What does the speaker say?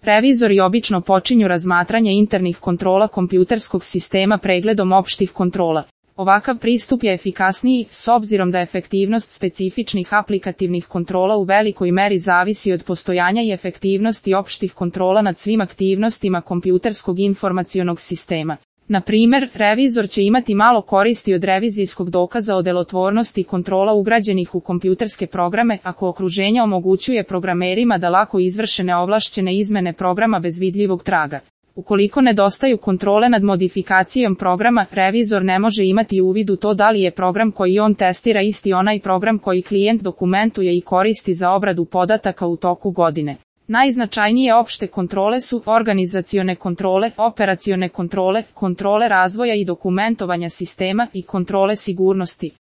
Revizori obično počinju razmatranje internih kontrola kompjuterskog sistema pregledom opštih kontrola. Ovakav pristup je efikasniji, s obzirom da efektivnost specifičnih aplikativnih kontrola u velikoj meri zavisi od postojanja i efektivnosti opštih kontrola nad svim aktivnostima kompjuterskog informacionog sistema. Na primer, revizor će imati malo koristi od revizijskog dokaza o delotvornosti kontrola ugrađenih u kompjuterske programe ako okruženje omogućuje programerima da lako izvrše neovlašćene izmene programa bez vidljivog traga. Ukoliko nedostaju kontrole nad modifikacijom programa, revizor ne može imati uvid u to da li je program koji on testira isti onaj program koji klijent dokumentuje i koristi za obradu podataka u toku godine. Najznačajnije opšte kontrole su organizacione kontrole, operacione kontrole, kontrole razvoja i dokumentovanja sistema i kontrole sigurnosti.